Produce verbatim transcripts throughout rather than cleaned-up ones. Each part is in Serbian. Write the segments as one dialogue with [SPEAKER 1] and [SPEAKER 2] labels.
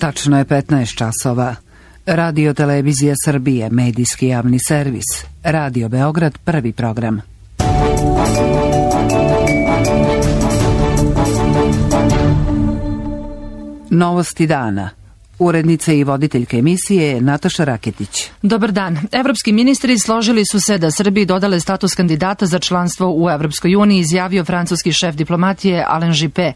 [SPEAKER 1] Tačno je petnaest časova. Radio Televizija Srbije, medijski javni servis. Radio Beograd, prvi program. Novosti dana. Urednica i voditeljka emisije je Nataša Raketić.
[SPEAKER 2] Dobar dan. Evropski ministri složili su se da Srbiji dodale status kandidata za članstvo u Evropskoj uniji, izjavio francuski šef diplomatije Alain Juppé.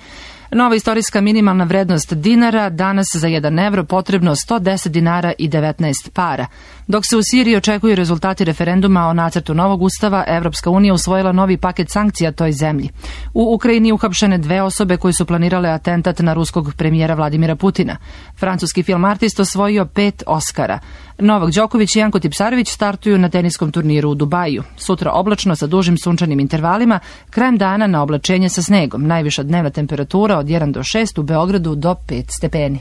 [SPEAKER 2] Nova istorijska minimalna vrednost dinara, danas za jedan evro potrebno sto deset dinara i devetnaest para. Dok se u Siriji očekuju rezultati referenduma o nacrtu novog ustava, Evropska unija usvojila novi paket sankcija toj zemlji. U Ukrajini uhapšene dve osobe koje su planirale atentat na ruskog premijera Vladimira Putina. Francuski film artist osvojio pet Oskara. Novak Đoković i Janko Tipsarević startuju na teniskom turniru u Dubaju. Sutra oblačno sa dužim sunčanim intervalima, krajem dana na oblačenje sa snegom. Najviša dnevna temperatura od jedan do šest, u Beogradu do pet stepeni.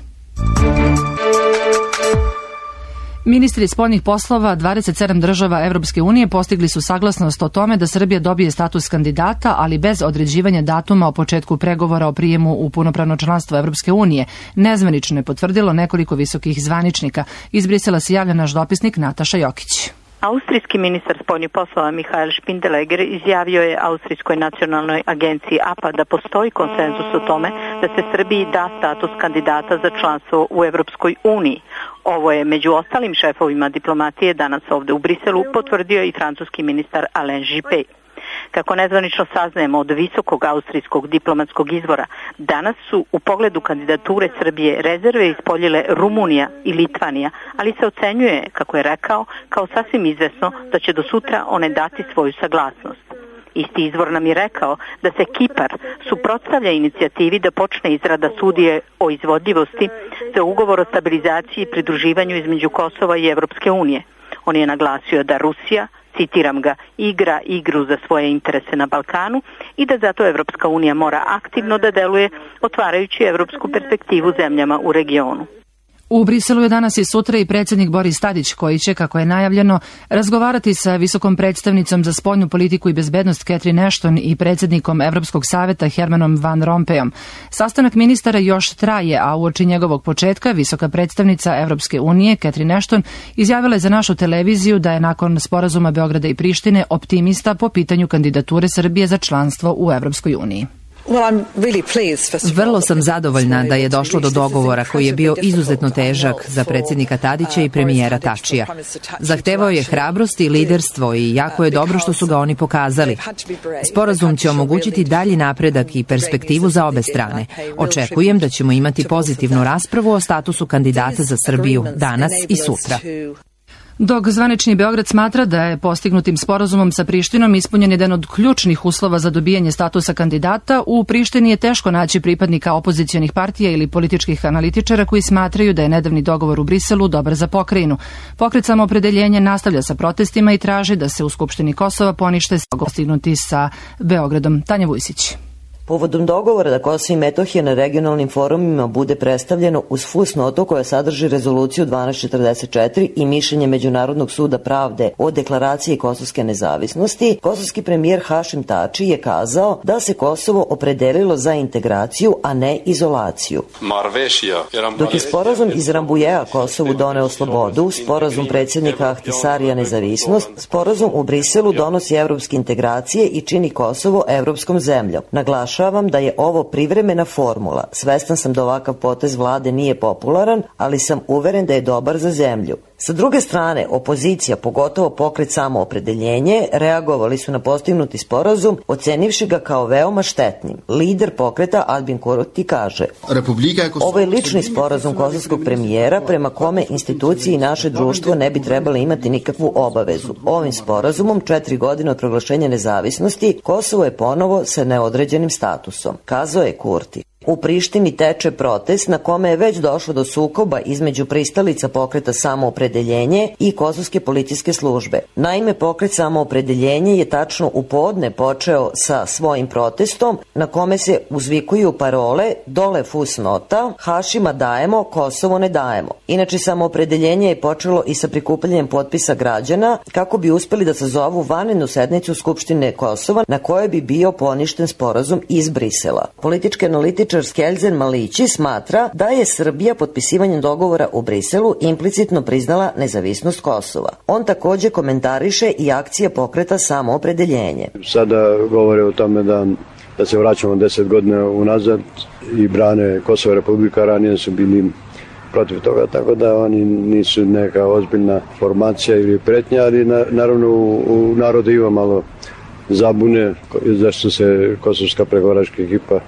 [SPEAKER 2] Ministri spoljnih poslova dvadeset sedam država Evropske unije postigli su saglasnost o tome da Srbija dobije status kandidata, ali bez određivanja datuma o početku pregovora o prijemu u punopravno članstvo Evropske unije. Nezvanično je potvrdilo nekoliko visokih zvaničnika. Iz Brisela se javlja naš dopisnik Nataša Jokić.
[SPEAKER 3] Austrijski ministar spoljnih poslova Mihael Spindeleger izjavio je Austrijskoj nacionalnoj agenciji A P A da postoji konsenzus o tome da se Srbiji da status kandidata za članstvo u Evropskoj uniji. Ovo je među ostalim šefovima diplomatije danas ovde u Briselu potvrdio i francuski ministar Alain Juppé. Kako nezvanično saznajemo od visokog austrijskog diplomatskog izvora, danas su u pogledu kandidature Srbije rezerve ispoljile Rumunija i Litvanija, ali se ocenjuje, kako je rekao, kao sasvim izvesno da će do sutra one dati svoju saglasnost. Isti izvor nam je rekao da se Kipar suprotstavlja inicijativi da počne izrada studije o izvodljivosti za ugovor o stabilizaciji i pridruživanju između Kosova i Evropske unije. On je naglasio da Rusija, citiram ga, igra igru za svoje interese na Balkanu i da zato Evropska unija mora aktivno da deluje, otvarajući evropsku perspektivu zemljama u regionu.
[SPEAKER 2] U Briselu je danas i sutra i predsjednik Boris Tadić, koji će, kako je najavljeno, razgovarati sa visokom predstavnicom za spoljnu politiku i bezbednost Catherine Ashton i predsjednikom Evropskog saveta Hermanom Van Rompuyom. Sastanak ministara još traje, a uoči njegovog početka visoka predstavnica Evropske unije Catherine Ashton izjavila je za našu televiziju da je nakon sporazuma Beograda i Prištine optimista po pitanju kandidature Srbije za članstvo u Evropskoj uniji.
[SPEAKER 4] Vrlo sam zadovoljna da je došlo do dogovora koji je bio izuzetno težak za predsjednika Tadića i premijera Tačija. Zahtevao je hrabrost i liderstvo i jako je dobro što su ga oni pokazali. Sporazum će omogućiti dalji napredak i perspektivu za obe strane. Očekujem da ćemo imati pozitivnu raspravu o statusu kandidata za Srbiju danas i sutra.
[SPEAKER 2] Dok zvanični Beograd smatra da je postignutim sporazumom sa Prištinom ispunjen jedan od ključnih uslova za dobijanje statusa kandidata, u Prištini je teško naći pripadnika opozicionih partija ili političkih analitičara koji smatraju da je nedavni dogovor u Briselu dobar za pokrajinu. Pokret Samoopredeljenje nastavlja sa protestima i traži da se u Skupštini Kosova ponište postignuti sa Beogradom. Tanja Vujsić.
[SPEAKER 5] Povodom dogovora da Kosovo i Metohija na regionalnim forumima bude predstavljeno uz fusnotu koja sadrži rezoluciju dvanaest četrdeset četiri i mišljenje Međunarodnog suda pravde o deklaraciji kosovske nezavisnosti, kosovski premijer Hašim Tači je kazao da se Kosovo opredelilo za integraciju, a ne izolaciju. Dok je sporazum iz Rambujeja Kosovu doneo slobodu, sporazum predsjednika Ahtisarija nezavisnost, sporazum u Briselu donosi evropske integracije i čini Kosovo evropskom zemljom. Naglašava da je ovo privremena formula. Svestan sam da ovakav potez vlade nije popularan, ali sam uveren da je dobar za zemlju. Sa druge strane, opozicija, pogotovo pokret Samoopredeljenje, reagovali su na postignuti sporazum, ocenivši ga kao veoma štetnim. Lider pokreta Albin Kurti kaže: ovo je lični sporazum kosovskog premijera prema kome institucije i naše društvo ne bi trebali imati nikakvu obavezu. Ovim sporazumom, četiri godine od proglašenja nezavisnosti, Kosovo je ponovo sa neodređenim statusom, kazao je Kurti. U Prištini teče protest na kome je već došlo do sukoba između pristalica pokreta Samoopredeljenje i kosovske policijske službe. Naime, pokret Samoopredeljenje je tačno u podne počeo sa svojim protestom na kome se uzvikuju parole dole fusnota, Hašima dajemo, Kosovo ne dajemo. Inače, Samoopredeljenje je počelo i sa prikupljanjem potpisa građana kako bi uspeli da sazovu vanrednu sednicu Skupštine Kosova na kojoj bi bio poništen sporazum iz Brisela. Politički analitičar političar Skelzen Malići smatra da je Srbija potpisivanjem dogovora u Briselu implicitno priznala nezavisnost Kosova. On takođe komentariše i akcije pokreta Samoopredeljenje.
[SPEAKER 6] Sada govore o tome da, da se vraćamo deset godina unazad i brane Kosovo Republika, ranije su bili protiv toga, tako da oni nisu neka ozbiljna formacija ili pretnja, ali na, naravno u, u narodu ima malo zabune zašto se kosovska pregovaračka ekipa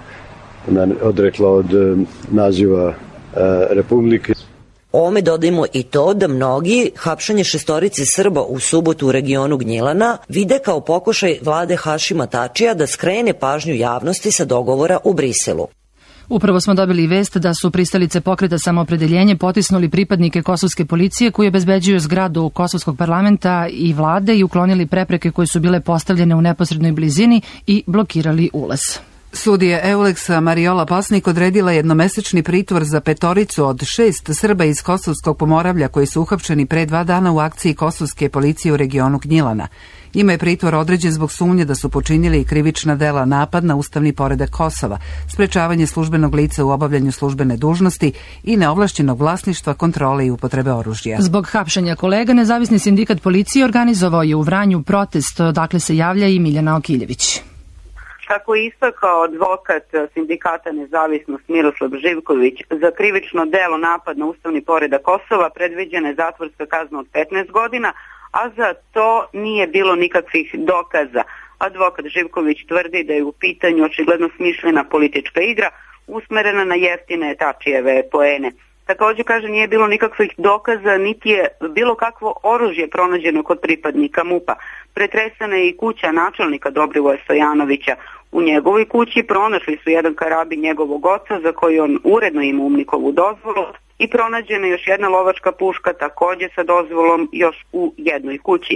[SPEAKER 6] odrekla od naziva e, Republike.
[SPEAKER 5] Ovome dodajmo i to da mnogi hapšanje šestorici Srba u subotu u regionu Gnjilana vide kao pokušaj vlade Hašima Tačija da skrene pažnju javnosti sa dogovora u Briselu.
[SPEAKER 2] Upravo smo dobili vest da su pristalice pokreta Samoopredeljenje potisnuli pripadnike kosovske policije koji obezbeđuju zgradu kosovskog parlamenta i vlade i uklonili prepreke koje su bile postavljene u neposrednoj blizini i blokirali ulaz.
[SPEAKER 1] Sudija Euleksa Mariola Pasnik odredila jednomesečni pritvor za petoricu od šest Srba iz Kosovskog Pomoravlja koji su uhapšeni pre dva dana u akciji kosovske policije u regionu Gnjilana. Njima je pritvor određen zbog sumnje da su počinili krivična dela napad na ustavni poredak Kosova, sprečavanje službenog lica u obavljanju službene dužnosti i neovlašćenog vlasništva, kontrole i upotrebe oružja.
[SPEAKER 2] Zbog hapšenja kolega, Nezavisni sindikat policije organizovao je u Vranju protest, odakle se javlja i Miljana Okiljević.
[SPEAKER 7] Kako je istakao advokat sindikata Nezavisnost Miroslav Živković, za krivično delo napad na ustavni poredak Kosova predviđena je zatvorska kazna od petnaest godina, a za to nije bilo nikakvih dokaza. Advokat Živković tvrdi da je u pitanju očigledno smišljena politička igra usmerena na jeftine Tačijeve poene. Također, kaže, nije bilo nikakvih dokaza, niti je bilo kakvo oružje pronađeno kod pripadnika MUP-a. Pretresana je i kuća načelnika Dobrivoja Stojanovića. U njegovoj kući pronašli su jedan karabin njegovog oca za koji on uredno ima UMNIK-ovu dozvolu i pronađena je još jedna lovačka puška također sa dozvolom još u jednoj kući.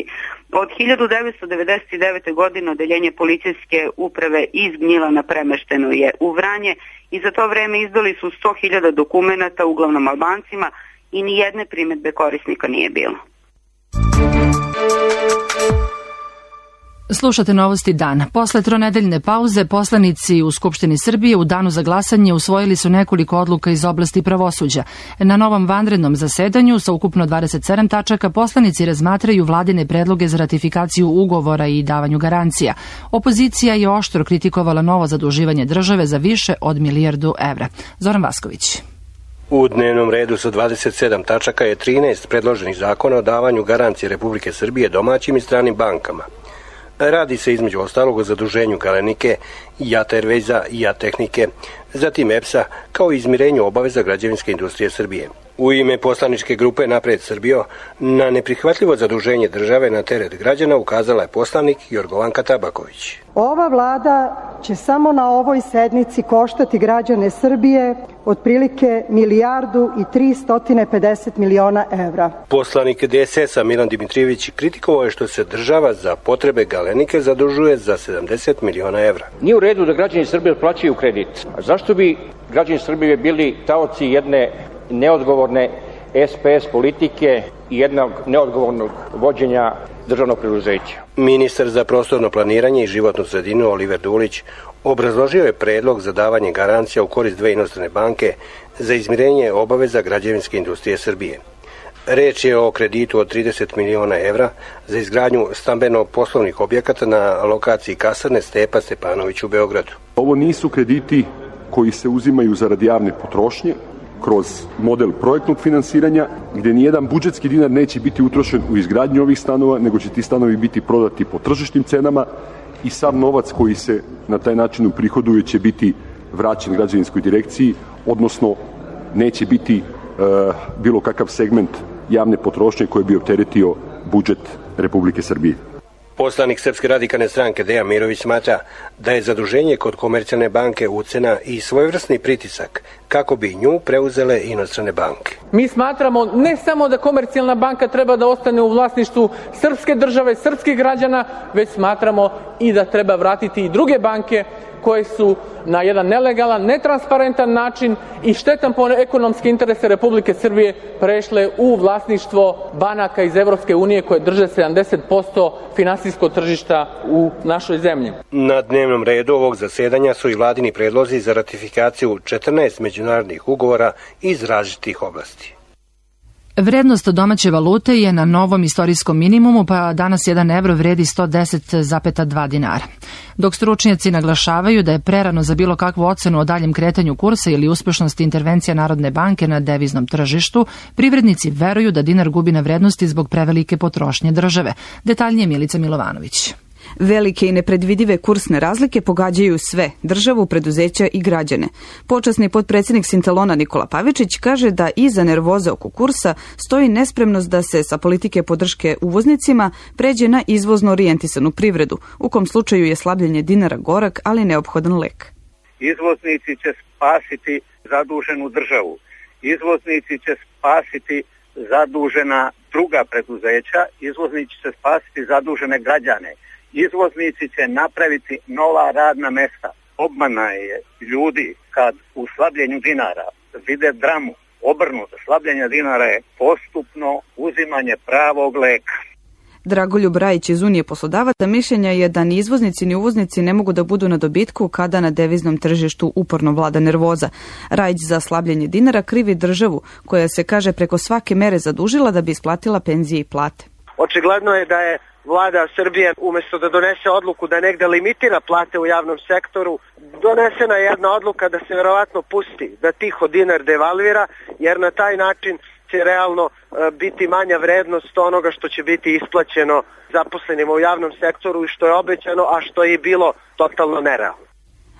[SPEAKER 7] Od hiljadu devetsto devedeset devete. godine odeljenje policijske uprave iz Gnjilana premešteno je u Vranje i za to vreme izdali su sto hiljada dokumenata, uglavnom Albancima, i ni jedne primedbe korisnika nije bilo.
[SPEAKER 2] Slušate Novosti dan. Posle tronedeljne pauze poslanici u Skupštini Srbije u danu za glasanje usvojili su nekoliko odluka iz oblasti pravosuđa. Na novom vanrednom zasedanju sa ukupno dvadeset sedam tačaka poslanici razmatraju vladine predloge za ratifikaciju ugovora i davanju garancija. Opozicija je oštro kritikovala novo zaduživanje države za više od milijardu evra. Zoran Vasković.
[SPEAKER 8] U dnevnom redu sa dvadeset sedam tačaka je trinaest predloženih zakona o davanju garancije Republike Srbije domaćim i stranim bankama. Radi se između ostalog o zaduženju Galenike, Jat Airwaysa i Jat Tehnike, zatim E P S-a, kao i izmirenju obaveza građevinske industrije Srbije. U ime poslaničke grupe Napred Srbijo na neprihvatljivo zaduženje države na teret građana ukazala je poslanik Jorgovanka Tabaković.
[SPEAKER 9] Ova vlada će samo na ovoj sednici koštati građane Srbije otprilike milijardu i tristo pedeset miliona evra.
[SPEAKER 8] Poslanik D S S-a Milan Dimitrijević kritikovao je što se država za potrebe Galenike zadužuje za sedamdeset miliona evra.
[SPEAKER 10] Nije u redu da građani Srbije otplaćuju kredit. A zašto bi građani Srbije bili taoci jedne neodgovorne S P S politike i jednog neodgovornog vođenja državnog preduzeća?
[SPEAKER 8] Ministar za prostorno planiranje i životnu sredinu Oliver Dulić obrazložio je predlog za davanje garancija u korist dve inostrane banke za izmirenje obaveza građevinske industrije Srbije. Reč je o kreditu od trideset miliona evra za izgradnju stambeno-poslovnih objekata na lokaciji kasarne Stepa Stepanović u Beogradu.
[SPEAKER 11] Ovo nisu krediti koji se uzimaju zarad javne potrošnje kroz model projektnog finansiranja, gdje nijedan budžetski dinar neće biti utrošen u izgradnju ovih stanova, nego će ti stanovi biti prodati po tržišnim cenama i sav novac koji se na taj način uprihoduje će biti vraćen građevinskoj direkciji, odnosno neće biti e, bilo kakav segment javne potrošnje koji bi opteretio budžet Republike Srbije.
[SPEAKER 8] Poslanik Srpske radikalne stranke Dejan Mirović smatra da je zaduženje kod Komercijalne banke ucena i svojevrsni pritisak kako bi nju preuzele inostrane banke.
[SPEAKER 12] Mi smatramo ne samo da Komercijalna banka treba da ostane u vlasništvu srpske države, srpskih građana, već smatramo i da treba vratiti i druge banke koje su na jedan nelegalan, netransparentan način i štetan po ekonomske interese Republike Srbije prešle u vlasništvo banaka iz Evropske unije koje drže sedamdeset posto finansijskog tržišta u našoj zemlji.
[SPEAKER 8] Na dnevnom redu ovog zasedanja su i vladini predlozi za ratifikaciju četrnaest međunarodnih ugovora iz različitih oblasti.
[SPEAKER 2] Vrednost domaće valute je na novom istorijskom minimumu, pa danas jedan evro vredi sto deset zarez dva dinara. Dok stručnjaci naglašavaju da je prerano za bilo kakvu ocenu o daljem kretanju kursa ili uspešnosti intervencija Narodne banke na deviznom tržištu, privrednici veruju da dinar gubi na vrednosti zbog prevelike potrošnje države. Detaljnije Milica Milovanović.
[SPEAKER 13] Velike i nepredvidive kursne razlike pogađaju sve, državu, preduzeća i građane. Počasni potpredsjednik Sintalona Nikola Pavičić kaže da iza nervoze oko kursa stoji nespremnost da se sa politike podrške uvoznicima pređe na izvozno orijentisanu privredu, u kom slučaju je slabljenje dinara gorak, ali neophodan lek.
[SPEAKER 14] Izvoznici će spasiti zaduženu državu. Izvoznici će spasiti zadužena druga preduzeća. Izvoznici će spasiti zadužene građane. Izvoznici će napraviti nova radna mesta. Obmana je ljudi kad u slabljenju dinara vide dramu. Obrnuto, slabljenje dinara je postupno uzimanje pravog leka.
[SPEAKER 13] Dragoljub Rajić iz Unije poslodavaca mišljenja je da ni izvoznici ni uvoznici ne mogu da budu na dobitku kada na deviznom tržištu uporno vlada nervoza. Rajić za slabljenje dinara krivi državu, koja se, kaže, preko svake mere zadužila da bi isplatila penzije i plate.
[SPEAKER 15] Očigledno je da je Vlada Srbije, umjesto da donese odluku da negde limitira plate u javnom sektoru, donesena je jedna odluka da se verovatno pusti, da tiho dinar devalvira, jer na taj način će realno biti manja vrednost onoga što će biti isplaćeno zaposlenima u javnom sektoru i što je obećano, a što je bilo totalno nerealno.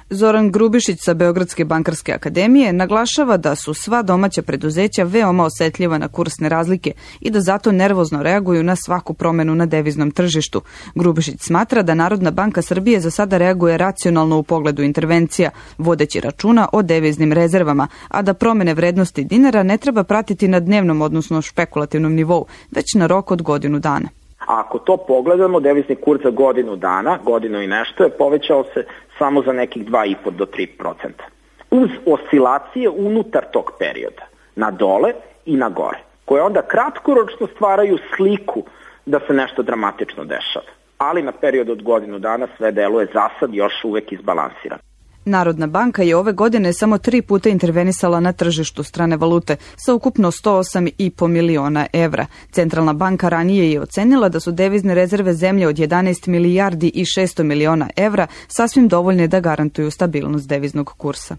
[SPEAKER 13] Zoran Grubišić sa Beogradske bankarske akademije naglašava da su sva domaća preduzeća veoma osetljiva na kursne razlike i da zato nervozno reaguju na svaku promenu na deviznom tržištu. Grubišić smatra da Narodna banka Srbije za sada reaguje racionalno u pogledu intervencija, vodeći računa o deviznim rezervama, a da promene vrednosti dinara ne treba pratiti na dnevnom, odnosno špekulativnom nivou, već na rok od godinu dana.
[SPEAKER 16] Ako to pogledamo, devizni kurs za godinu dana, godinu i nešto, je povećao se samo za nekih dva i po do tri procenta. Uz oscilacije unutar tog perioda, na dole i na gore, koje onda kratkoročno stvaraju sliku da se nešto dramatično dešava. Ali na period od godinu dana sve deluje za sad još uvek izbalansirano.
[SPEAKER 13] Narodna banka je ove godine samo tri puta intervenisala na tržištu strane valute sa ukupno sto osam i po miliona evra. Centralna banka ranije je ocenila da su devizne rezerve zemlje od jedanaest milijardi i šesto miliona evra sasvim dovoljne da garantuju stabilnost deviznog kursa.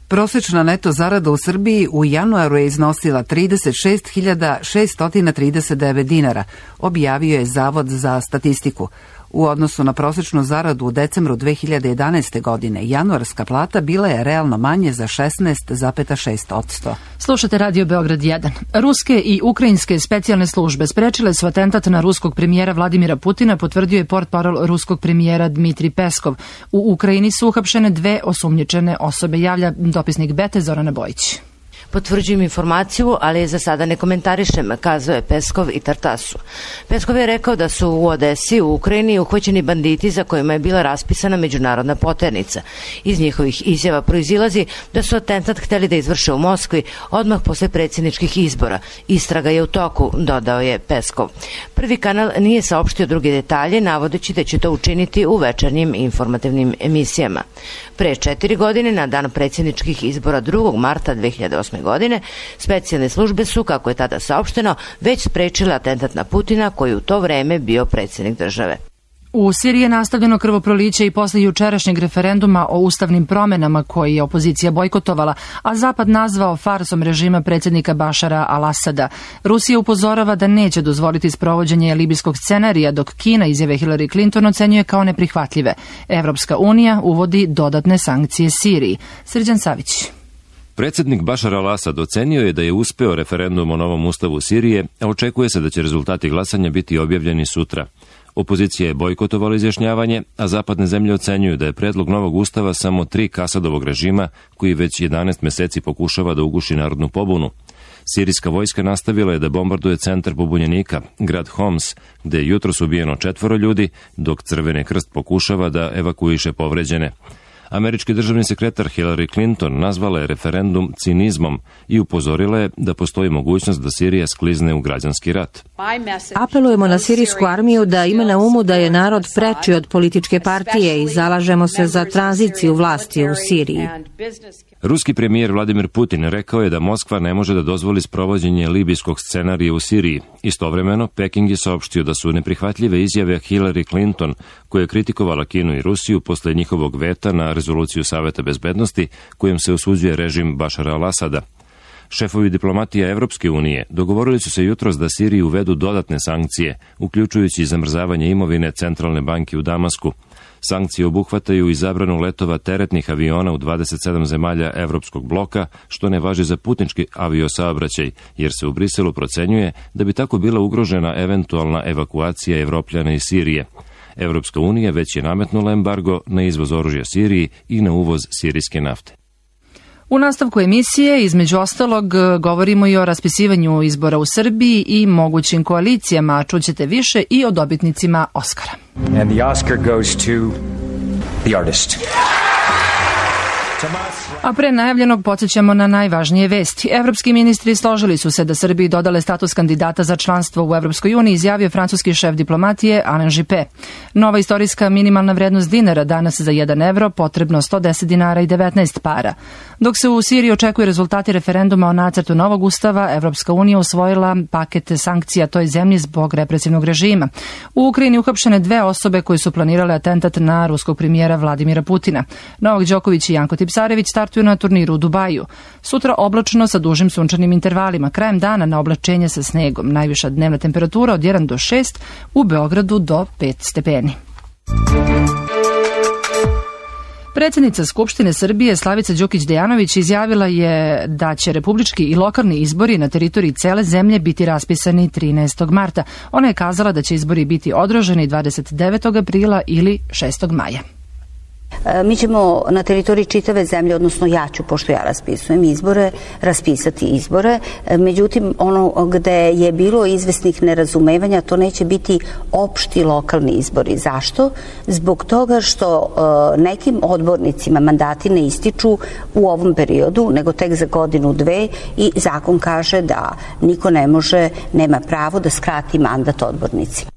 [SPEAKER 1] Prosečna neto zarada u Srbiji u januaru je iznosila trideset šest hiljada šesto trideset devet dinara, objavio je Zavod za statistiku. U odnosu na prosečnu zaradu u decembru dve hiljade jedanaeste. godine, januarska plata bila je realno manje za šesnaest zarez šest posto.
[SPEAKER 2] Slušate Radio Beograd jedan. Ruske i ukrajinske specijalne službe sprečile su atentat na ruskog premijera Vladimira Putina, potvrdio je portparol ruskog premijera Dmitrij Peskov. U Ukrajini su uhapšene dve osumnjičene osobe, javlja dopisnik Bete Zorana Bojić.
[SPEAKER 17] Potvrđujem informaciju, ali za sada ne komentarišem, kazao je Peskov i Tartasu. Peskov je rekao da su u Odesi u Ukrajini uhvaćeni banditi za kojima je bila raspisana međunarodna poternica. Iz njihovih izjava proizilazi da su atentat hteli da izvrše u Moskvi odmah posle predsjedničkih izbora. Istraga je u toku, dodao je Peskov. Prvi kanal nije saopštio druge detalje, navodeći da će to učiniti u večernjim informativnim emisijama. Pre četiri godine, na dan predsjedničkih izbora drugog marta dve hiljade osme. godine, specijalne službe su, kako je tada saopšteno, već sprečile atentat na Putina, koji je u to vreme bio predsjednik države.
[SPEAKER 2] U Siriji je nastavljeno krvoproliće i posle jučerašnjeg referenduma o ustavnim promenama koji je opozicija bojkotovala, a Zapad nazvao farsom režima predsjednika Bašara al-Asada. Rusija upozorava da neće dozvoliti sprovođenje libijskog scenarija, dok Kina izjave Hillary Clinton ocenjuje kao neprihvatljive. Evropska unija uvodi dodatne sankcije Siriji. Srđan Savić.
[SPEAKER 18] Predsjednik Bašar al-Asad ocenio je da je uspeo referendum o novom ustavu Sirije, a očekuje se da će rezultati glasanja biti objavljeni sutra. Opozicija je bojkotovala izjašnjavanje, a zapadne zemlje ocenjuju da je predlog novog ustava samo trik Asadovog režima, koji već jedanaest meseci pokušava da uguši narodnu pobunu. Sirijska vojska nastavila je da bombarduje centar pobunjenika, grad Homs, gde je jutros ubijeno četvoro ljudi, dok Crveni krst pokušava da evakuiše povređene. Američki državni sekretar Hillary Clinton nazvala je referendum cinizmom i upozorila je da postoji mogućnost da Sirija sklizne u građanski rat.
[SPEAKER 19] Apelujemo na sirijsku armiju da ima na umu da je narod preči od političke partije i zalažemo se za tranziciju vlasti u Siriji.
[SPEAKER 18] Ruski premijer Vladimir Putin rekao je da Moskva ne može da dozvoli sprovođenje libijskog scenarija u Siriji. Istovremeno, Peking je saopštio da su neprihvatljive izjave Hillary Clinton, koja je kritikovala Kinu i Rusiju posle njihovog veta na rezoluciju Saveta bezbednosti kojom se osuđuje režim Bašara al-Asada. Šefovi diplomatija Evropske unije dogovorili su se jutros da Siriji uvedu dodatne sankcije, uključujući zamrzavanje imovine Centralne banke u Damasku. Sankcije obuhvataju i zabranu letova teretnih aviona u dvadeset sedam zemalja Evropskog bloka, što ne važi za putnički aviosaobraćaj, jer se u Briselu procenjuje da bi tako bila ugrožena eventualna evakuacija Evropljana iz Sirije. Evropska unija već je nametnula embargo na izvoz oružja Siriji i na uvoz sirijske nafte.
[SPEAKER 2] U nastavku emisije, između ostalog, govorimo i o raspisivanju izbora u Srbiji i mogućim koalicijama, a čućete više i o dobitnicima Oskara.
[SPEAKER 20] And the Oscar goes to the artist.
[SPEAKER 2] A pre najavljenog podsjećamo na najvažnije vesti. Evropski ministri složili su se da Srbiji dodale status kandidata za članstvo u Evropskoj uniji, izjavio francuski šef diplomatije Alain Juppé. Nova istorijska minimalna vrednost dinara danas za jedan evro potrebno sto deset dinara i devetnaest para. Dok se u Siriji očekuju rezultati referenduma o nacrtu novog ustava, Evropska unija usvojila paket sankcija toj zemlji zbog represivnog režima. U Ukrajini uhapšene dve osobe koje su planirale atentat na ruskog premijera Vladimira Putina. Novak Đoković i Janko Tipsarević startuju na turniru u Dubaju. Sutra oblačno sa dužim sunčanim intervalima. Krajem dana na oblačenje sa snegom. Najviša dnevna temperatura od jedan do šest, u Beogradu do pet stepeni. Predsjednica Skupštine Srbije Slavica Đukić-Dejanović izjavila je da će republički i lokalni izbori na teritoriji cele zemlje biti raspisani trinaestog marta. Ona je kazala da će izbori biti održani dvadeset devetog aprila ili šestog maja.
[SPEAKER 21] Mi ćemo na teritoriji čitave zemlje, odnosno ja ću, pošto ja raspisujem izbore, raspisati izbore. Međutim, ono gde je bilo izvesnih nerazumevanja, to neće biti opšti lokalni izbori. Zašto? Zbog toga što nekim odbornicima mandati ne ističu u ovom periodu, nego tek za godinu, dve, i zakon kaže da niko ne može, nema pravo da skrati mandat odbornicima.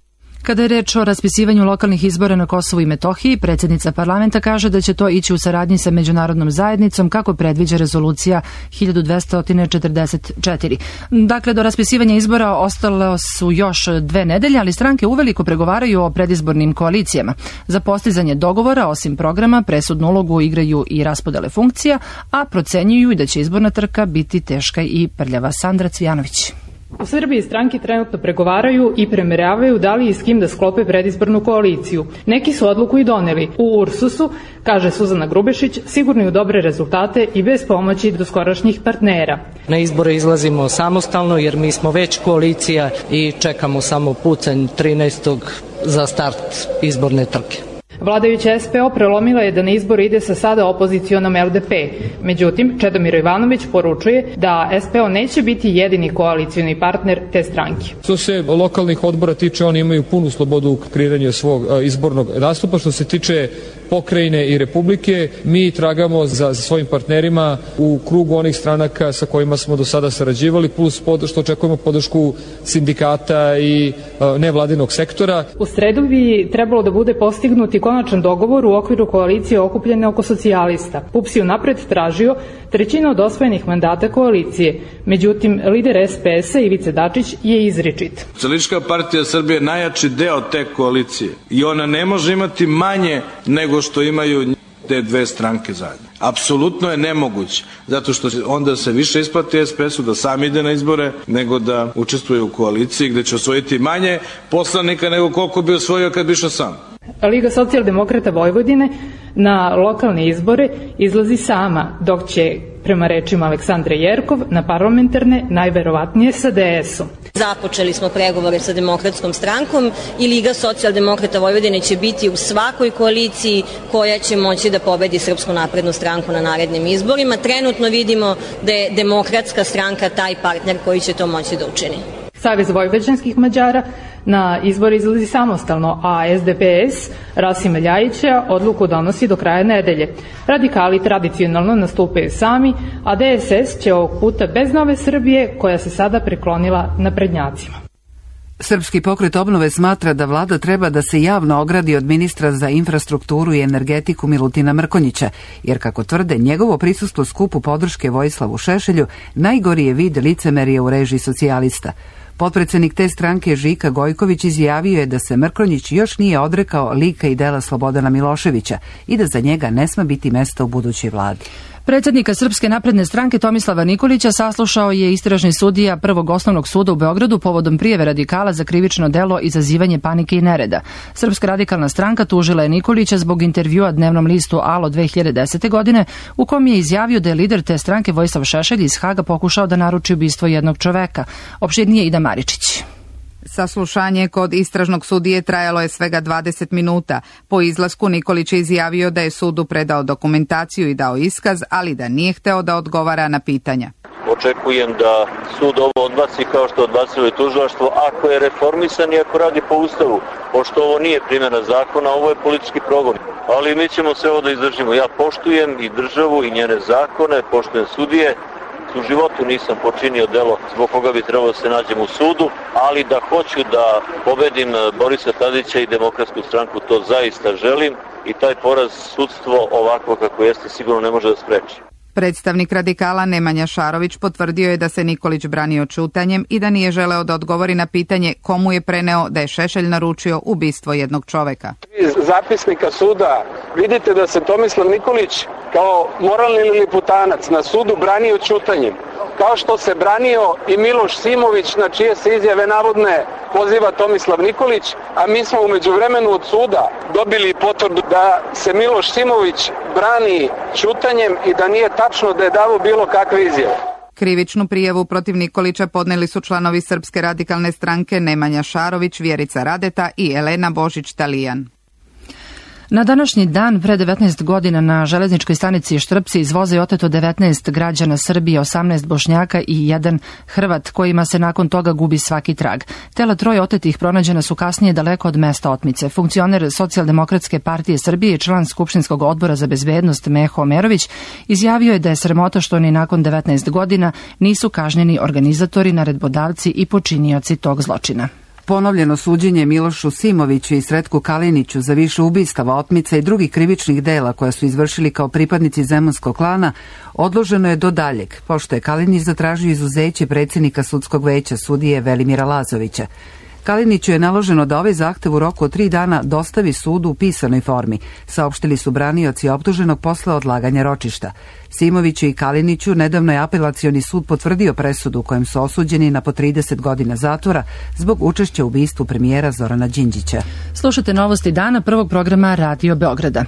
[SPEAKER 2] Kada je reč o raspisivanju lokalnih izbora na Kosovu i Metohiji, predsjednica parlamenta kaže da će to ići u saradnji sa međunarodnom zajednicom, kako predviđa rezolucija hiljadu dvesta četrdeset četiri. Dakle, do raspisivanja izbora ostalo su još dve nedelje, ali stranke uveliko pregovaraju o predizbornim koalicijama. Za postizanje dogovora, osim programa, presudnu ulogu igraju i raspodele funkcija, a procenjuju i da će izborna trka biti teška i prljava. Sandra Cvijanović.
[SPEAKER 22] U Srbiji stranke trenutno pregovaraju i premeravaju da li i s kim da sklope predizbornu koaliciju. Neki su odluku i doneli. U Ursusu, kaže Suzana Grubešić, sigurni u dobre rezultate i bez pomoći doskorašnjih partnera.
[SPEAKER 23] Na izbore izlazimo samostalno jer mi smo već koalicija i čekamo samo pucanj trinaestog za start izborne trke.
[SPEAKER 22] Vladajuća es pe o prelomila je da na izbor ide sa sada opozicionom el de pe. Međutim, Čedomir Ivanović poručuje da es pe o neće biti jedini koalicioni partner te stranke.
[SPEAKER 24] Što se lokalnih odbora tiče, oni imaju punu slobodu u kreiranju svog izbornog nastupa. Što se tiče pokrajine i republike, mi tragamo za svojim partnerima u krugu onih stranaka sa kojima smo do sada sarađivali, plus što očekujemo podršku sindikata i nevladinog sektora.
[SPEAKER 22] U sredu bi trebalo da bude postignuti konačan dogovor u okviru koalicije okupljene oko socijalista. P U P S je unapred tražio trećinu od osvojenih mandata koalicije. Međutim, lider es pe es-a Ivica Dačić je izričit.
[SPEAKER 25] Socijalistička partija Srbije je najjači deo te koalicije i ona ne može imati manje nego što imaju te dve stranke zajedno. Apsolutno je nemoguće, zato što onda se više isplati es pe es-u da sam ide na izbore nego da učestvuje u koaliciji gde će osvojiti manje poslanika nego koliko bi osvojio kad bi išao sam.
[SPEAKER 22] Liga socijaldemokrata Vojvodine na lokalne izbore izlazi sama, dok će, prema rečima Aleksandre Jerkov, na parlamentarne najverovatnije sa de es-om.
[SPEAKER 26] Započeli smo pregovore sa Demokratskom strankom i Liga socijaldemokrata Vojvodine će biti u svakoj koaliciji koja će moći da pobedi Srpsku naprednu stranku na narednim izborima. Trenutno vidimo da je Demokratska stranka taj partner koji će to moći da učini.
[SPEAKER 22] Savez vojvođanskih Mađara na izbor izlazi samostalno, a S D P S Rasima Ljajića odluku donosi do kraja nedelje. Radikali tradicionalno nastupaju sami, a D S S će ovog puta bez Nove Srbije, koja se sada preklonila naprednjacima.
[SPEAKER 1] Srpski pokret obnove smatra da vlada treba da se javno ogradi od ministra za infrastrukturu i energetiku Milutina Mrkonjića, jer kako tvrde, njegovo prisustvo skupu podrške Vojislavu Šešelju najgori je vid licemerja u režiji socijalista. Potpredsednik te stranke Žika Gojković izjavio je da se Mrkonjić još nije odrekao lika i dela Slobodana Miloševića i da za njega ne sme biti mesta u budućoj vladi.
[SPEAKER 2] Predsjednika Srpske napredne stranke Tomislava Nikolića saslušao je istražni sudija Prvog osnovnog suda u Beogradu povodom prijave radikala za krivično delo izazivanje panike i nereda. Srpska radikalna stranka tužila je Nikolića zbog intervjua dnevnom listu Alo dve hiljade desete. godine, u kom je izjavio da je lider te stranke Vojislav Šešelj iz Haga pokušao da naruči ubistvo jednog čoveka. Opširnije Ida Maričić.
[SPEAKER 3] Saslušanje kod istražnog sudije trajalo je svega dvadeset minuta. Po izlasku Nikolić je izjavio da je sudu predao dokumentaciju i dao iskaz, ali da nije hteo da odgovara na pitanja.
[SPEAKER 4] Očekujem da sud ovo odbaci kao što odbacilo i tužilaštvo ako je reformisan i ako radi po Ustavu. Pošto ovo nije primjena zakona, ovo je politički progon. Ali mi ćemo sve ovo da izdržimo. Ja poštujem i državu i njene zakone, poštujem sudije. U životu nisam počinio delo zbog koga bi trebalo da se nađem u sudu, ali da hoću da pobedim Borisa Tadića i Demokratsku stranku, to zaista želim i taj poraz sudstvo ovako kako jeste sigurno ne može da spreči.
[SPEAKER 3] Predstavnik radikala Nemanja Šarović potvrdio je da se Nikolić branio ćutanjem i da nije želeo da odgovori na pitanje komu je preneo da je Šešelj naručio ubistvo jednog čoveka.
[SPEAKER 5] Iz zapisnika suda vidite da se Tomislav Nikolić kao moralni liputanac na sudu branio ćutanjem, kao što se branio i Miloš Simović, na čije se izjave navodne poziva Tomislav Nikolić, a mi smo umeđu vremenu od suda dobili potvrdu da se Miloš Simović brani ćutanjem i da nije tačno da je davo bilo kakve izjave.
[SPEAKER 3] Krivičnu prijavu protiv Nikolića podneli su članovi Srpske radikalne stranke Nemanja Šarović, Vjerica Radeta i Elena Božić-Talijan.
[SPEAKER 2] Na današnji dan, pre devetnaest godina, na železničkoj stanici Štrpci iz voza je oteto devetnaest građana Srbije, osamnaest Bošnjaka i jedan Hrvat, kojima se nakon toga gubi svaki trag. Tela troje otetih pronađena su kasnije daleko od mesta otmice. Funkcioner Socijaldemokratske partije Srbije i član Skupštinskog odbora za bezbednost Meho Omerović izjavio je da je sramota što ni nakon devetnaest godina nisu kažnjeni organizatori, naredbodavci i počinioci tog zločina.
[SPEAKER 1] Ponovljeno suđenje Milošu Simoviću i Sretku Kaliniću za više ubistava, otmica i drugih krivičnih dela koja su izvršili kao pripadnici zemunskog klana odloženo je do daljeg, pošto je Kalinić zatražio izuzeće predsjednika sudskog veća sudije Velimira Lazovića. Kaliniću je naloženo da ovaj zahtev u roku od tri dana dostavi sudu u pisanoj formi, saopštili su branioci optuženog posle odlaganja ročišta. Simoviću i Kaliniću nedavno je apelacioni sud potvrdio presudu u kojem su osuđeni na po trideset godina zatvora zbog učešća u ubistvu premijera Zorana Đinđića.
[SPEAKER 2] Slušate novosti dana prvog programa Radio Beograda.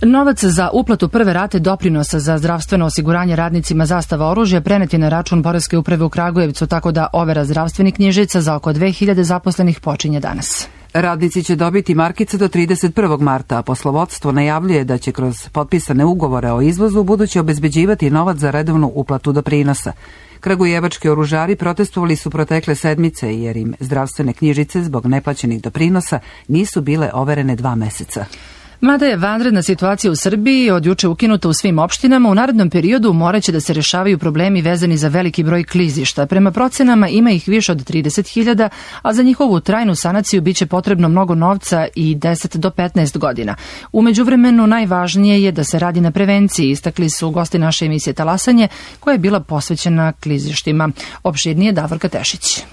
[SPEAKER 2] Novac za uplatu prve rate doprinosa za zdravstveno osiguranje radnicima Zastava oružja prenet je na račun Poreske uprave u Kragujevcu, tako da overa zdravstvenih knjižica za oko dve hiljade zaposlenih počinje danas.
[SPEAKER 1] Radnici će dobiti markice do trideset prvog marta, a poslovodstvo najavljuje da će kroz potpisane ugovore o izvozu buduće obezbeđivati novac za redovnu uplatu doprinosa. Kragujevački oružari protestovali su protekle sedmice jer im zdravstvene knjižice zbog neplaćenih doprinosa nisu bile overene dva meseca.
[SPEAKER 2] Mada je vanredna situacija u Srbiji od juče ukinuta u svim opštinama, u narednom periodu moraće da se rešavaju problemi vezani za veliki broj klizišta. Prema procenama ima ih više od trideset hiljada, a za njihovu trajnu sanaciju biće potrebno mnogo novca i deset do petnaest godina. U međuvremenu najvažnije je da se radi na prevenciji, istakli su gosti naše emisije Talasanje, koja je bila posvećena klizištima. Opširnije Davorka Tešić.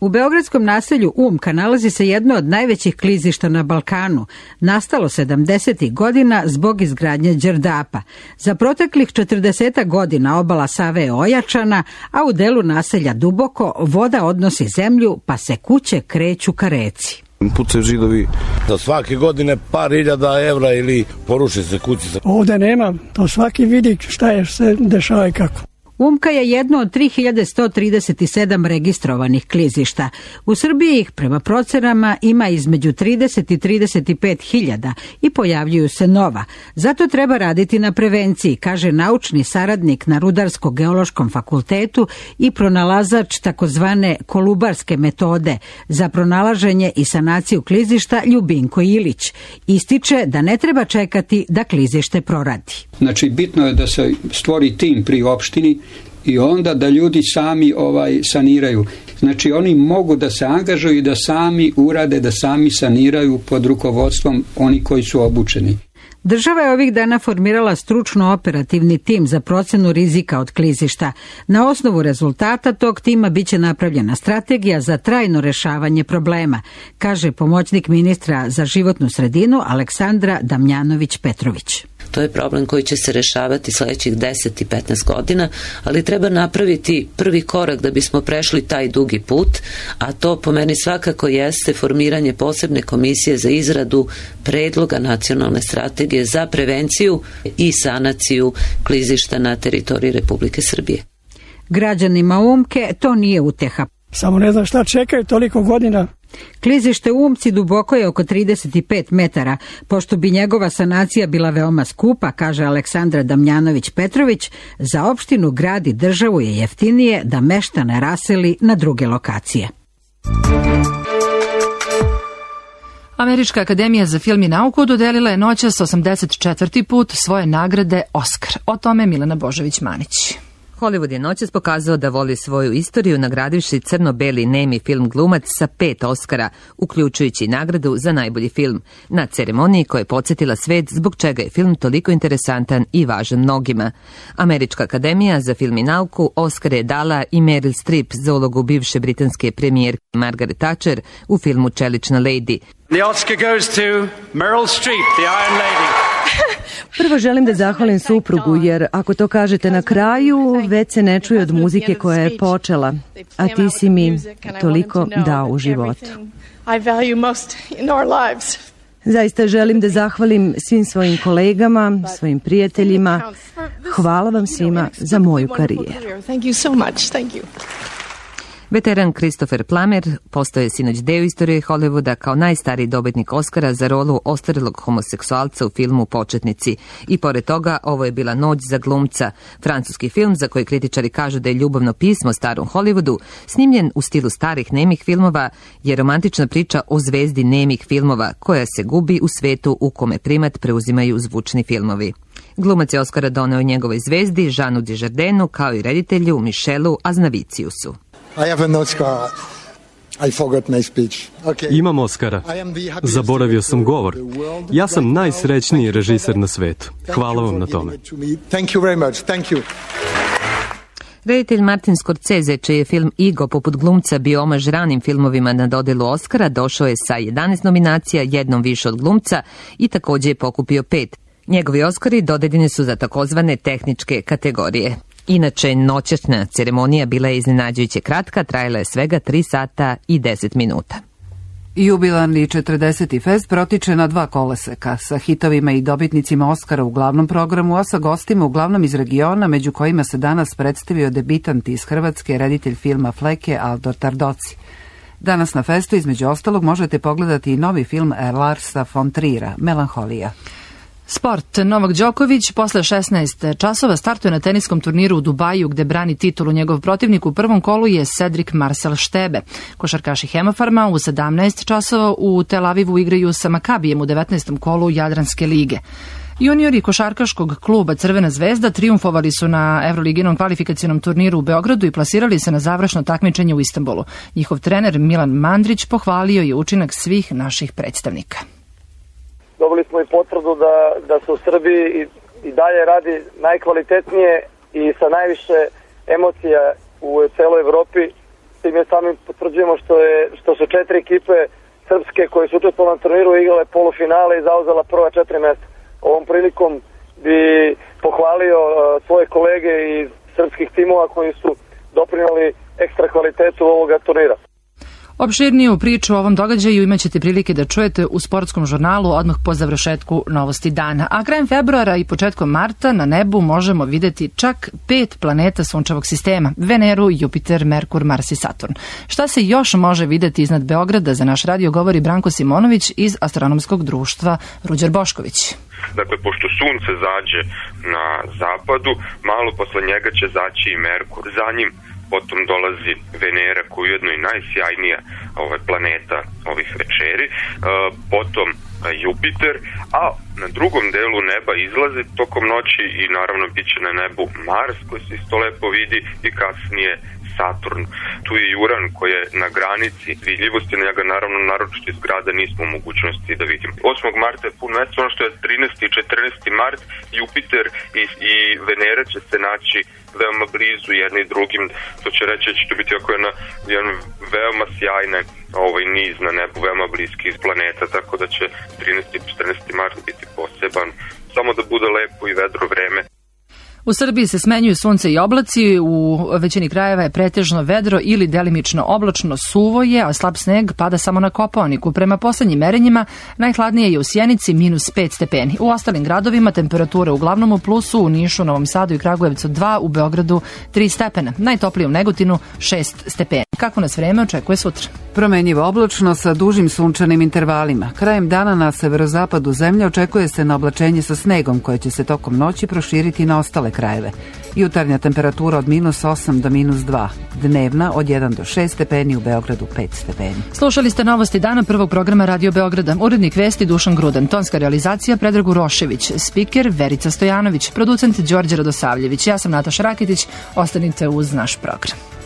[SPEAKER 6] U beogradskom naselju Umka nalazi se jedno od najvećih klizišta na Balkanu, nastalo sedamdesetih godina zbog izgradnje Đerdapa. Za proteklih četrdeset godina obala Save je ojačana, a u delu naselja Duboko voda odnosi zemlju pa se kuće kreću ka reci.
[SPEAKER 7] Pucaju židovi za svake godine par hiljada evra ili poruši se kući.
[SPEAKER 9] Ovde nema, to svaki vidi šta je se dešava i kako.
[SPEAKER 6] Umka je jedno od tri hiljade sto trideset sedam registrovanih klizišta. U Srbiji ih prema procenama ima između trideset i trideset pet hiljada i pojavljuju se nova. Zato treba raditi na prevenciji, kaže naučni saradnik na Rudarsko-geološkom fakultetu i pronalazač takozvane kolubarske metode za pronalaženje i sanaciju klizišta Ljubinko Ilić. Ističe da ne treba čekati da klizište proradi.
[SPEAKER 8] Znači, bitno je da se stvori tim pri opštini i onda da ljudi sami ovaj saniraju. Znači, oni mogu da se angažuju i da sami urade, da sami saniraju pod rukovodstvom oni koji su obučeni.
[SPEAKER 6] Država je ovih dana formirala stručno-operativni tim za procenu rizika od klizišta. Na osnovu rezultata tog tima biće napravljena strategija za trajno rešavanje problema, kaže pomoćnik ministra za životnu sredinu Aleksandra Damjanović-Petrović.
[SPEAKER 9] To je problem koji će se rešavati sledećih deset i petnaest godina, ali treba napraviti prvi korak da bismo prešli taj dugi put, a to po meni svakako jeste formiranje posebne komisije za izradu predloga nacionalne strategije za prevenciju i sanaciju klizišta na teritoriji Republike Srbije.
[SPEAKER 6] Građanima Umke to nije uteha.
[SPEAKER 10] Samo ne znam šta čekaju toliko godina.
[SPEAKER 6] Klizište u Umci duboko je oko trideset pet metara. Pošto bi njegova sanacija bila veoma skupa, kaže Aleksandra Damjanović-Petrović, za opštinu, grad i državu je jeftinije da meštane raseli na druge lokacije.
[SPEAKER 2] Američka akademija za film i nauku dodelila je noćas osamdeset četvrti put svoje nagrade Oskar. O tome Milena Božović-Manić.
[SPEAKER 11] Hollywood je noćas pokazao da voli svoju istoriju nagradivši crno-beli nemi film glumac sa pet Oskara, uključujući nagradu za najbolji film, na ceremoniji koja je podsjetila svet zbog čega je film toliko interesantan i važan mnogima. Američka akademija za film i nauku Oskar je dala i Meryl Streep za ulogu bivše britanske premijerke Margaret Thatcher u filmu Čelična lady.
[SPEAKER 12] The Oscar goes to Meryl Streep, the Iron Lady.
[SPEAKER 14] Prvo želim da zahvalim suprugu, jer ako to kažete na kraju, već se ne čuje od muzike koja je počela, a ti si mi toliko dao u životu. Zaista želim da zahvalim svim svojim kolegama, svojim prijateljima. Hvala vam svima za moju karijeru.
[SPEAKER 11] Veteran Christopher Plummer postao je sinoć deo istorije Hollywooda kao najstariji dobitnik Oscara za rolu ostarelog homoseksualca u filmu Početnici. I pored toga, ovo je bila noć za glumca. Francuski film, za koji kritičari kažu da je ljubavno pismo starom Hollywoodu, snimljen u stilu starih nemih filmova, je romantična priča o zvezdi nemih filmova, koja se gubi u svetu u kome primat preuzimaju zvučni filmovi. Glumac je Oscara doneo njegovoj zvezdi, Jeanu Dujardinu, kao i reditelju Michelu Aznaviciusu.
[SPEAKER 27] I have an Oscar. I forgot my speech. Okay.
[SPEAKER 28] Imam Oscara. Zaboravio sam govor. Ja sam najsrećniji režiser na svetu. Hvala vam na tome.
[SPEAKER 27] Thank you very much. Thank you.
[SPEAKER 11] Reditelj Martin Scorsese, čiji je film Igo poput glumca bio omaž ranim filmovima na dodelu Oscara, došao je sa jedanaest nominacija, jednom više od glumca i također je pokupio pet. Njegovi Oscari dodeljeni su za takozvane tehničke kategorije. Inače, noćasna ceremonija bila je iznenađujuće kratka, trajala je svega tri sata i deset minuta.
[SPEAKER 1] Jubilarni četrdeseti fest protiče na dva koloseka, sa hitovima i dobitnicima Oskara u glavnom programu, a sa gostima uglavnom iz regiona, među kojima se danas predstavio debitant iz Hrvatske, reditelj filma Fleke Aldo Tardoci. Danas na festu, između ostalog, možete pogledati i novi film Larsa von Trier'a, Melanholija.
[SPEAKER 2] Sport. Novak Đoković posle šesnaest časova startuje na teniskom turniru u Dubaju gde brani titulu. Njegov protivnik u prvom kolu je Cedric Marcel Štebe. Košarkaši Hemofarma u sedamnaest časova u Tel Avivu igraju sa Makabijem u devetnaestom kolu Jadranske lige. Juniori košarkaškog kluba Crvena zvezda trijumfovali su na Evroliginom kvalifikacionom turniru u Beogradu i plasirali se na završno takmičenje u Istanbulu. Njihov trener Milan Mandrić pohvalio je učinak svih naših predstavnika.
[SPEAKER 29] Dobili smo i potvrdu da, da se u Srbiji i, i dalje radi najkvalitetnije i sa najviše emocija u celoj Evropi. S tim je samim potvrđujemo što, je, što su četiri ekipe srpske koje su učestvovale na turniru igrale polufinale i zauzela prva četiri mesta. Ovom prilikom bi pohvalio uh, svoje kolege iz srpskih timova koji su doprinali ekstra kvalitetu ovoga turnira.
[SPEAKER 2] Opširniju priču o ovom događaju imaćete prilike da čujete u sportskom žurnalu odmah po završetku Novosti dana. A krajem februara i početkom marta na nebu možemo videti čak pet planeta sunčevog sistema: Veneru, Jupiter, Merkur, Mars i Saturn. Šta se još može videti iznad Beograda, za naš radio govori Branko Simonović iz Astronomskog društva Ruđer Bošković.
[SPEAKER 13] Dakle, pošto sunce zađe na zapadu, malo posle njega će zaći i Merkur. Za njim potom dolazi Venera, koja je ujedno i najsjajnija ovaj, planeta ovih večeri, e, potom Jupiter, a na drugom delu neba izlaze tokom noći i naravno bit će na nebu Mars, koji se isto lepo vidi, i kasnije Saturn. Tu je Uran koji je na granici vidljivosti, njega naravno naročito iz grada nismo u mogućnosti da vidimo. osmog marta je pun mesec, ono što je trinaesti i četrnaesti mart, Jupiter i, i Venera će se naći veoma blizu jedni drugim. To će reći da će to biti ako jedna, jedan veoma sjajne ovaj niz na nebu, veoma bliski iz planeta, tako da će trinaesti i četrnaesti mart biti poseban, samo da bude lepo i vedro vreme.
[SPEAKER 2] U Srbiji se smenjuju sunce i oblaci, u većini krajeva je pretežno vedro ili delimično oblačno, suvo je, a slab sneg pada samo na Kopaoniku. Prema poslednjim merenjima najhladnije je u Sjenici minus pet stepeni. U ostalim gradovima temperatura uglavnom u plusu, u Nišu, Novom Sadu i Kragujevcu dva, u Beogradu tri stepena. Najtoplije u Negotinu šest stepeni. Kako nas vreme očekuje sutra?
[SPEAKER 1] Promenjivo oblačno sa dužim sunčanim intervalima. Krajem dana na severozapadu zemlje očekuje se na oblačenje sa snegom koje će se tokom noći proširiti na ostale krajeve. Jutarnja temperatura od minus osam do minus dva. Dnevna od jedan do šest stepeni, u Beogradu pet stepeni.
[SPEAKER 2] Slušali ste Novosti dana prvog programa Radio Beograda. Urednik vesti Dušan Grudan, tonska realizacija Predrag Urošević, spiker Verica Stojanović, producent Đorđe Radosavljević. Ja sam Nataša Rakitić. Ostanite uz naš program.